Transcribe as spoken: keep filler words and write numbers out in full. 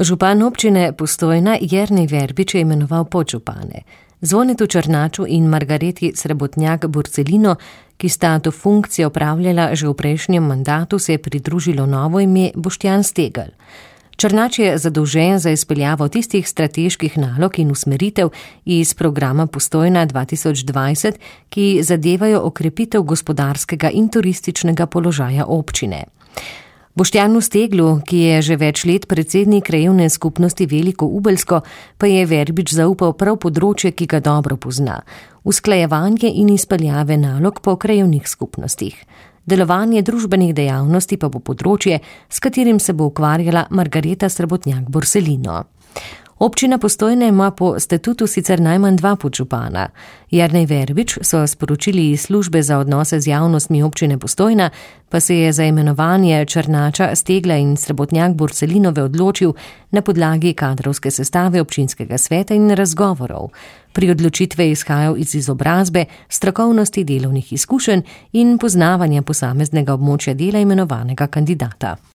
Župan občine Postojna Jernej Verbič je imenoval podžupane. Zvonetu Černaču in Margareti Srebotnjak-Borcelino, ki sta to funkcijo opravljala že v prejšnjem mandatu, se je pridružilo novo ime Boštjan Stegelj. Černač je zadolžen za izpeljavo tistih strateških nalog in usmeritev iz programa Postojna dva tisoč dvajset, ki zadevajo okrepitev gospodarskega in turističnega položaja občine. Boštjanu Steglu, ki je že več let predsednik krajevne skupnosti Veliko Ubelsko, pa je Verbič zaupal prav področje, ki ga dobro pozna: usklajevanje in izpeljave nalog po krajevnih skupnostih. Delovanje družbenih dejavnosti pa bo področje, s katerim se bo ukvarjala Margareta Srebotnjak-Borcelino. Občina Postojna ima po statutu sicer najmanj dva podžupana. Jernej Verbič, so sporočili iz službe za odnose z javnostmi občine Postojna, pa se je za imenovanje Černača, Stegla in Srebotnjak-Borcelinove odločil na podlagi kadrovske sestave občinskega sveta in razgovorov. Pri odločitve je izhajal iz izobrazbe, strokovnosti, delovnih izkušenj in poznavanja posameznega območja dela imenovanega kandidata.